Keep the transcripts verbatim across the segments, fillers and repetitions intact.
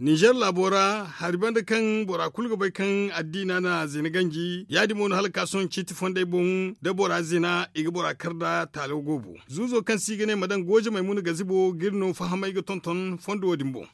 Ninzeer laabo ra hari banda kaŋ bora kulu ga bay kaŋ addiina na zina ganji ya- din mo no hala ga ka sohõ ciiti fondey boŋ da bora zina i ga bora kar nd'a taalo goobo. Zuuzo kaŋ se i ga ne ma daŋ gooje maymuna gazibo ga iri no fahamay ga tonton fondo wo- din boŋ.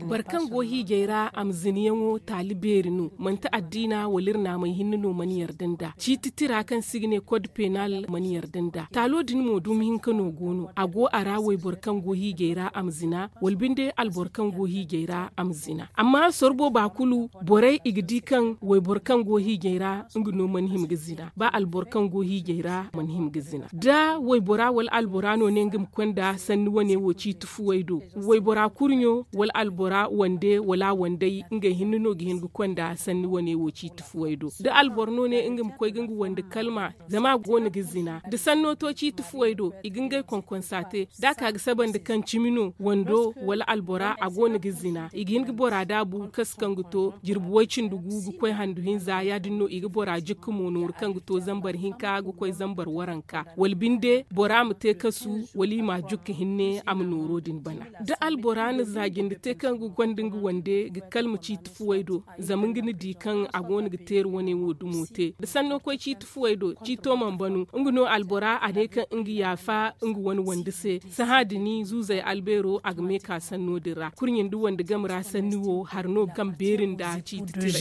Boro kaŋ go hiijay ra a ma zinayaŋo taali beeri no manti addiina wala iri naamay hinne no mana yarda nd'a ciiti tira kaŋ se i ga ne kod penal mana yarda nd'a taalo din mo dumi hinka no go no a go a ra wayboro kaŋ go hiijay ra a ma zina wala binde alboro kaŋ go hiijay ra a ma zina amma sorbo ba kulu borey i ga di kaŋ wayboro kaŋ go hiijay ra nga no mana hima ga zina ba alboro kaŋ go hiijay ra mana hima ga zina da waybora wala albora no ne nga ma konda sanni wane wo ciiti fuwey do waybora kurɲo wala albora wande wala wandey ngey hinne no ga hin ga konda sanni wane wo ciiti fuwey do da alboro no ne nga ma koy ga nga wande kalma zama a go no ga zina da sanno to ciiti fuwey do i ga ngey konkonsa te da a ka ga saba nda kaŋ cimi no wando wala albora a go no ga zina i ga hin ga bora daabu kasu kaŋ ga to jirbi way cindi gu ga koy handu hinza ya- din no i ga bora jikka mo nooru kaŋ ga to zambar hinka ga koy zambar waranka wala binde bora ma te kasu wala i ma a jukka hinne a ma nooro din bana da albora na za jinde te kaŋ ga gonda nga wande ga kalma ciiti fuwey do zama nga na di kaŋ a go no ga teeri wane wo dumo te da sanno koy ciiti fuwey do ciito mana banu nga no albora a ne kaŋ nga yaafa nga wane wande se sahã din zuuzey albeero a ga me ka sanno din ra kurɲe nda wande game ra sanni wo hari no kaŋ beeri nda ciiti tira.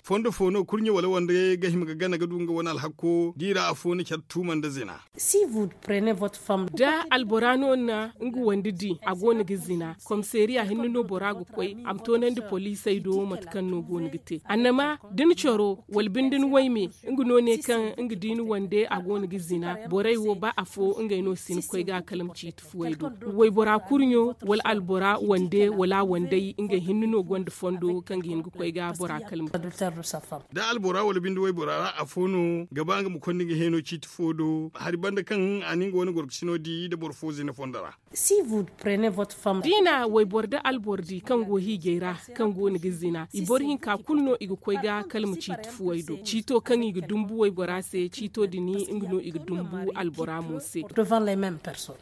Fondo fo no kurɲe wala wande ga hima ga gana ga du nga wane alhakko da i ra afo na care tuuma nda zina. Da albora no na nga wande di a go no ga zina komiseeriya hinne no bora ga koy a ma toonandi poliisey do mate kaŋ no go no ga te annama da ni coro wala binde ni wayme nga no ne kaŋ nga di ni wande a go no ga zina borey wo ba afo ngey no si ni koy ga kala ma ciiti fuwey do waybora kurɲo wala albora wande wala wandey ngey hinne no gonda fondo kaŋ ga hin ga koy ga bora kala ma. Da albora wala binde waybora ra afo no ga ba nga ma konda nga heeno ciiti fo do hari banda kaŋ a na nga wane gorkasino di da boro fo zina fondo ra. Da i na wayboro da alboro di kaŋ go hiijay ra kaŋ go no ga zina i boro hinka kulu no i ga koy ga kala ma ciiti fuwey do ciito kaŋ i ga dumbu waybora se ciito din nga no i ga dumbu albora mo se.